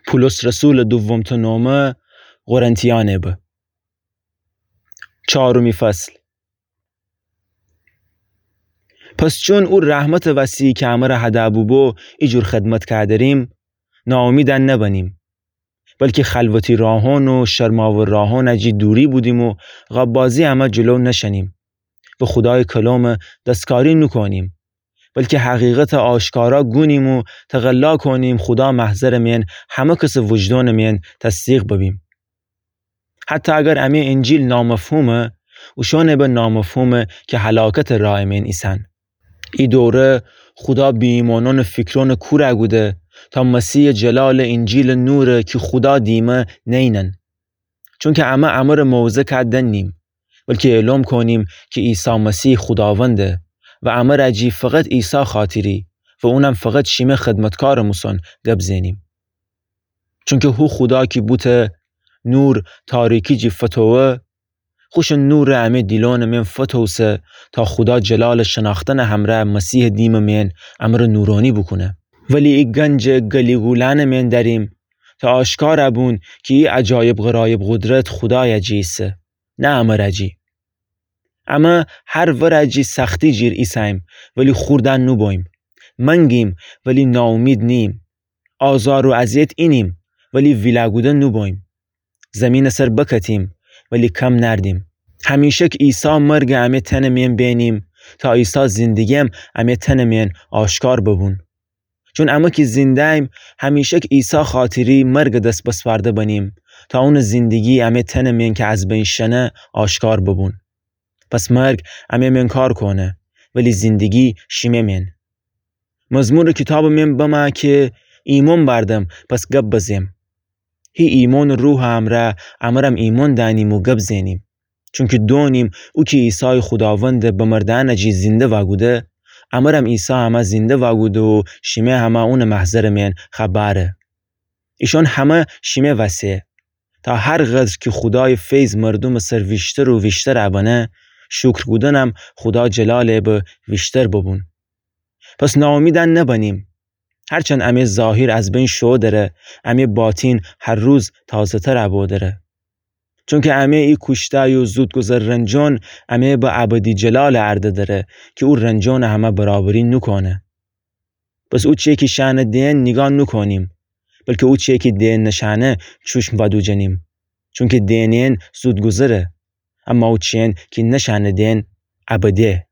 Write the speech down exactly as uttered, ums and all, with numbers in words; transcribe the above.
پولس رسولٚ دومٚ نامه قرنتیأنٚ به. چهارمی فصل. پس چون او رحمتٚ وسی کی امر هده بوبو ایجور خدمت کودریم، ناامیدأن نبنیم، بلکی خلوتی راهان و شرماور راهان جی دوری بودیم و غبازی امه جلو نشنیم و خودای کلام دستکاری نوکونیم، بلکی حقیقت آشکارا گونیم و تقلا کونیم خودا محضرٚ مین همه کسٚ وجدانٚ مین تصدیق ببیم. حتی اگر امی انجیل نامفهومه، اوشانٚ به نامفهومه کی هلاکتٚ رایٚ مین ایسن. ای دوره خودا بی‌ایمانانٚ فیکرانٚ کور کوده، تا مسیحٚ جلالٚ انجیلٚ نوره کی خودا دیمه نینن. چونکی امه امرٚ موعظه کودن نیم، بلکی اعلام کونیم کی عیسی مسیح خوداونده و امر جی فقط عیسی خاطری و اونم فقط شیمه خدمتکارٚ موسان گب زنیم. چونکی هو خودا کی بوته نور تاریکی جی فتوه، خوشٚ نورٚ امی دیلانٚ مین فتوسه تا خودا جلالٚ شناختنٚ همره مسیحٚ دیمٚ مین امرٚ نورانی بوکونه. ولی ای گنجٚ گلی گولأنٚ مین دریم تا آشکار بون کی ای عجایب غرایب قدرت خودای جی ایسه، نه امر جی. امه هر ور جی سختی جیر ایسه‌ییم، ولی خوردن نوبوییم. منگیم، ولی ناامید نییم. آزار و اذیت اینیم، ولی ویله کوده نوبوییم. زیمینٚ سر بکتیم، ولی کم نردیم. همیشک عیسی مرگ امی تنٚ مین بینیم، تا عیسی زندگیم امی تنٚ مین آشکار ببون. چون امه کی زنده‌ییم، همیشک عیسی خاطری مرگ دس بسپرده بنیم، تا اونٚ زندگی امی تنٚ مین کی از بین شنه آشکار ببون. پس مرگ امی مین کار کونه، ولی زندگی شیمه مین. مزمورٚ کیتابٚ مین بمه کی ایمون بردم، پس گب بزیم. هی ایمونٚ روحٚ امرأ امرم ایمون دأنیم و گب زنیم. چونکی دونیم او کی عیسای خوداوند به مردأن جی زنده وأکوده، امرم عیسی همه زنده وأکوده و شیمه همه اونٚ محضرٚ مین خوأ بأره. ایشان همه شیمه وسه، تا هر قدر کی خودایٚ فیض مردومٚ سر ویشتر و ویشتر بنه، شکر کودنم خودا جلالٚ به ویشتر ببون. پس ناامیدأن نبنیم. هرچند امی ظاهر از بین شو دره، امی باطن هر روز تازه‌تر بو دره. چونکی امی ای کوشتای و زودگذر رنجان امی به ابدی جلالٚ ارده دره کی او رنجانٚ همه برابری نوکونه. پس او چیه کی شأنه دئن نیگاه نوکونیم، بلکی او چیه کی دئن نشأنه چوشم وأدوجنیم. چونکی دئنئن زودگذره، اما او چیئن کی نشأنه دئن ابده.